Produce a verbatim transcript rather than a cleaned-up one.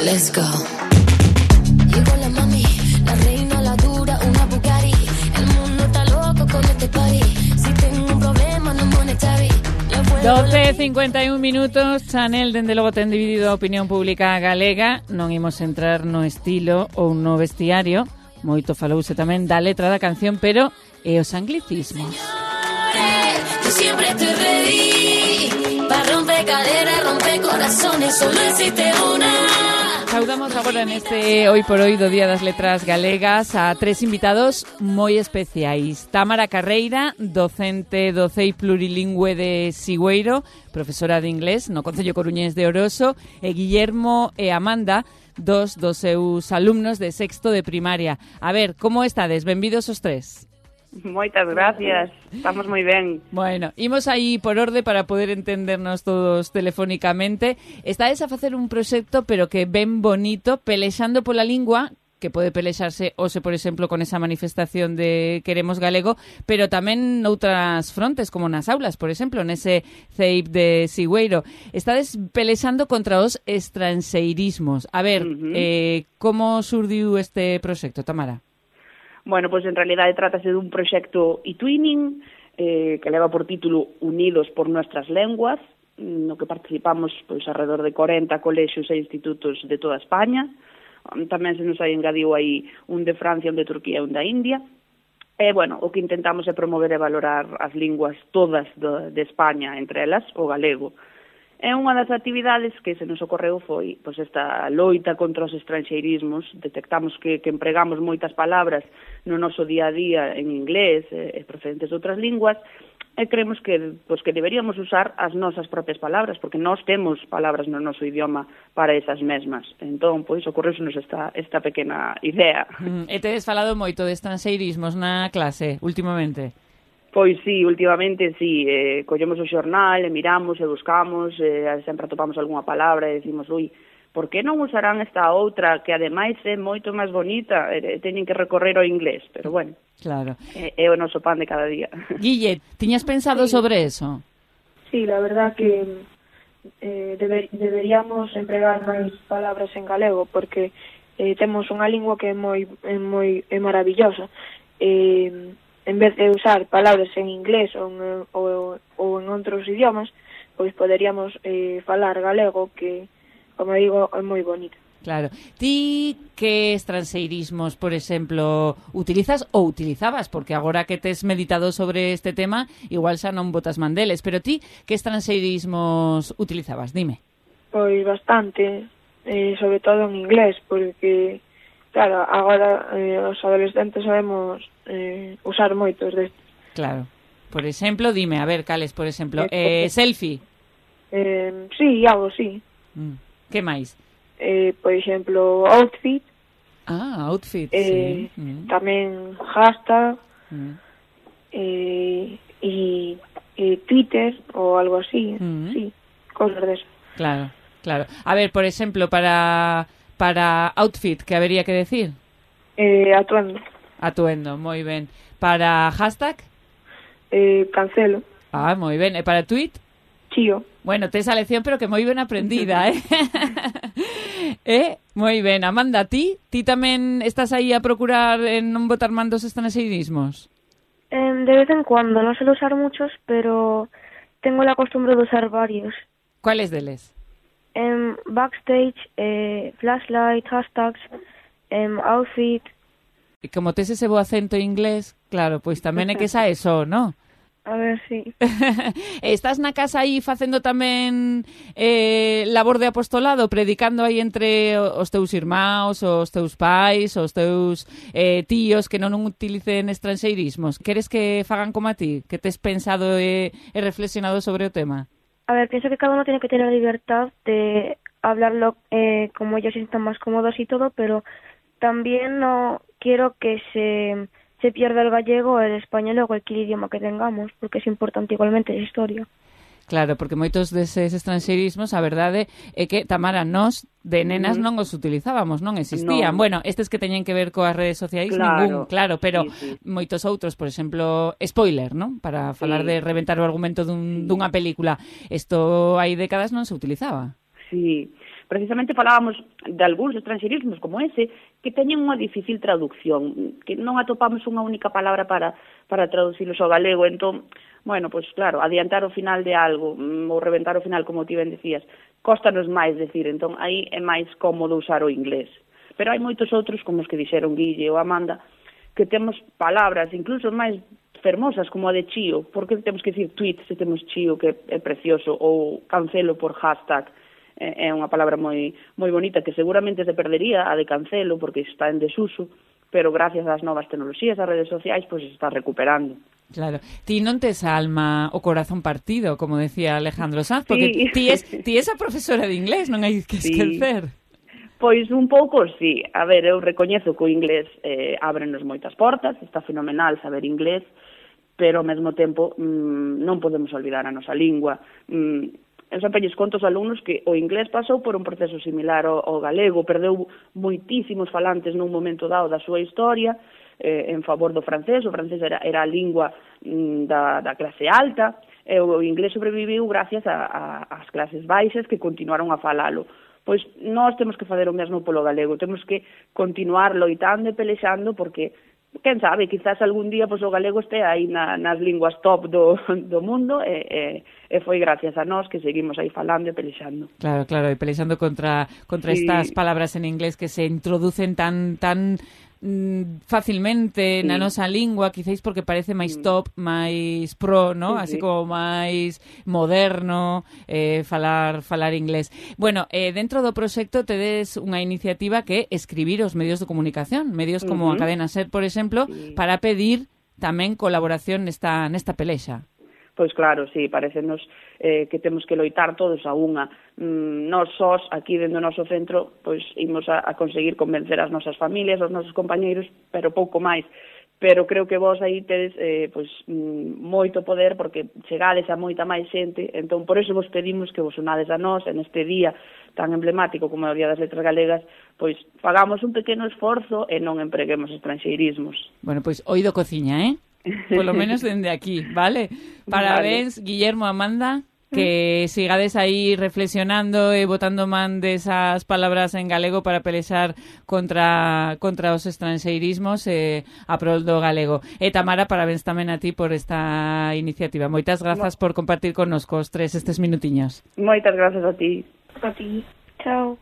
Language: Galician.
Let's go. Llegó la mami, la reina, la dura, una Bugatti. El mundo está loco con este party. Si tengo un problema no monetary. doce e cincuenta e un minutos. Chanel, dende logo, ten dividido a opinión pública galega. Non imos entrar no estilo ou no vestiario. Moito falouse tamén da letra da canción, pero e os anglicismos. Yo siempre estoy ready para romper caderas, romper corazones. Solo existe una. Saudamos agora neste Hoy por Hoy do Día das Letras Galegas a tres invitados moi especiais. Támara Carreira, docente do C E I plurilingüe de Sigüeiro, profesora de inglés no Concello Coruñés de Oroso, e Guillermo e Amanda, dos dos seus alumnos de sexto de primaria. A ver, como estades? Benvidos os tres. Moitas gracias, estamos moi ben. Bueno, imos aí por orde para poder entendernos todos telefónicamente. Estades a facer un proxecto, pero que ben bonito, pelexando pola lingua, que pode pelexarse hoxe, por exemplo, con esa manifestación de Queremos Galego, pero tamén noutras frontes, como nas aulas, por exemplo, nese C E I de Sigüeiro. Estades pelexando contra os estranxeirismos. A ver, uh-huh. eh, como surdiu este proxecto, Tamara? Bueno, pois en realidade trátase dun proxecto e-twinning eh, que leva por título Unidos por Nuestras Lenguas, no que participamos pois alrededor de corenta colexios e institutos de toda España. Tamén se nos hai engadiu aí un de Francia, un de Turquía e un da India. E, bueno, o que intentamos é promover e valorar as linguas todas de, de España, entre elas o galego. E unha das actividades que se nos ocorreu foi pois, esta loita contra os estranxeirismos. Detectamos que, que empregamos moitas palabras no noso día a día en inglés e, e procedentes de outras linguas, e creemos que, pois, que deberíamos usar as nosas propias palabras, porque nós temos palabras no noso idioma para esas mesmas. Entón, pois, ocorreusenos esta, esta pequena idea. Mm, e tedes falado moito de estranxeirismos na clase, últimamente? Pois sí, últimamente sí, eh, collemos o xornal e miramos e buscamos, eh, sempre atopamos algunha palabra e decimos, ui, por que non usarán esta outra que ademais é moito máis bonita, e teñen que recorrer ao inglés, pero bueno, claro. é, é o noso pan de cada día. Guille, tiñas pensado sí. sobre eso? Sí, la verdad que eh, deber, deberíamos empregar máis palabras en galego, porque eh, temos unha lingua que é moi, é moi é maravillosa. Eh, en vez de usar palabras en inglés ou en, ou, ou en outros idiomas, pois poderíamos eh, falar galego, que, como digo, é moi bonito. Claro. Ti que estranxeirismos, por exemplo, utilizas ou utilizabas? Porque agora que tes meditado sobre este tema, igual xa non botas mandeles, pero ti que estranxeirismos utilizabas? Dime. Pois bastante, eh, sobre todo en inglés, porque... Claro, agora eh, os adolescentes sabemos eh, usar moitos destes. Claro. Por exemplo, dime, a ver, cales, por exemplo, eh, selfie. Eh, sí, algo, sí. Mm. Que máis? Eh, por exemplo, outfit. Ah, outfit, eh, sí. Mm. Tamén hashtag. Mm. Eh, e, e Twitter ou algo así. Mm. Sí, cosas de eso. Claro, claro. A ver, por exemplo, para... Para outfit, que habería que decir? Eh, atuendo. Atuendo, moi ben. Para hashtag? Eh, cancelo. Ah, moi ben. E para tweet? Chío. Bueno, tes a lección, pero que moi ben aprendida, eh? eh? Moi ben. Amanda, ti? Ti tamén estás aí a procurar en non botar mandos estranxeirismos? Eh, de vez en cuando, no suelo usar muchos, pero tengo la costumbre de usar varios. ¿Cuáles deles? Um, backstage, eh, flashlight, hashtags, um, outfit. E como tes ese bo acento inglés, claro, pois tamén é que xa eso, non? A ver, sí. Estás na casa aí facendo tamén eh, labor de apostolado, predicando aí entre os teus irmãos, os teus pais, os teus eh, tíos que non utilicen estranxeirismos. Queres que fagan como a ti? Que tes pensado e, e reflexionado sobre o tema? A ver, pienso que cada uno tiene que tener la libertad de hablarlo eh, como ellos se sientan más cómodos y todo, pero también no quiero que se, se pierda el gallego, el español o cualquier idioma que tengamos, porque es importante igualmente esa historia. Claro, porque moitos deses estranxeirismos, a verdade é que, Tamara, nós de nenas non os utilizábamos, non existían. No. Bueno, estes que teñen que ver coas redes sociais, claro, ningún, claro, pero sí, sí. moitos outros, por exemplo, spoiler, non? Para falar sí. de reventar o argumento dun, Sí. dunha película. Isto hai décadas non se utilizaba. Sí, precisamente falábamos de algúns estranxeirismos como ese que teñen unha difícil traducción, que non atopamos unha única palabra para, para traducilos ao galego, entón, bueno, pois claro, adiantar o final de algo ou reventar o final, como ti ben decías, cóstanos máis decir, entón aí é máis cómodo usar o inglés. Pero hai moitos outros, como os que dixeron Guille ou Amanda, que temos palabras incluso máis fermosas, como a de chío. Por que temos que dicir tweet se temos chío, que é precioso, ou cancelo por hashtag? É unha palabra moi moi bonita que seguramente se perdería, a de cancelo, porque está en desuso, pero gracias ás novas tecnoloxías, ás redes sociais, pois se está recuperando. Claro. Ti non tes a alma o corazón partido, como decía Alejandro Sanz, porque sí. ti, es, ti es a profesora de inglés, non hai que esquecer. Sí. Pois un pouco, sí. A ver, eu recoñezo que o inglés eh, ábrenos moitas portas, está fenomenal saber inglés, pero ao mesmo tempo mmm, non podemos olvidar a nosa lingua. Mm, eu sempre lles conto aos alumnos que o inglés pasou por un proceso similar ao, ao galego, perdeu moitísimos falantes nun momento dado da súa historia eh, en favor do francés. O francés era, era a lingua mm, da, da clase alta, e o inglés sobreviviu gracias a, a, ás clases baixas que continuaron a falalo. Pois nós temos que fazer o mesmo polo galego, temos que continuar loitando e pelexando, porque quen sabe, quizás algún día pois, o galego este aí na, nas linguas top do, do mundo e, e, e foi gracias a nós que seguimos aí falando e pelexando. Claro, claro, e pelexando contra, contra sí. estas palabras en inglés que se introducen tan tan mm, facilmente sí. na nosa lingua, quizáis porque parece máis top, máis pro, ¿no? Sí, así sí. como máis moderno eh, falar falar inglés. Bueno, eh, dentro do proxecto tedes unha iniciativa que é escribir os medios de comunicación, medios como uh-huh. a Cadena Ser, por exemplo, sí. para pedir tamén colaboración nesta nesta pelexa. Pois claro, sí, parecenos eh, que temos que loitar todos a unha. Mm, nós sós, aquí dentro do noso centro, pois imos a, a conseguir convencer as nosas familias, os nosos compañeiros, pero pouco máis. Pero creo que vos aí tedes eh, pois, mm, moito poder, porque chegades a moita máis xente, entón por eso vos pedimos que vos unades a nós en este día tan emblemático como é o Día das Letras Galegas, pois pagamos un pequeno esforzo e non empreguemos estranxeirismos. Bueno, pois oído cociña, eh? Por lo menos dende aquí, vale? Parabéns, vale. Guillermo, Amanda, que sigades aí reflexionando e botando man desas palabras en galego para pelexar contra contra os estranxeirismos e a prol do galego. E Tamara, parabéns tamén a ti por esta iniciativa. Moitas grazas por compartir connosco os tres estes minutiños. Moitas grazas a ti. A ti. Chao.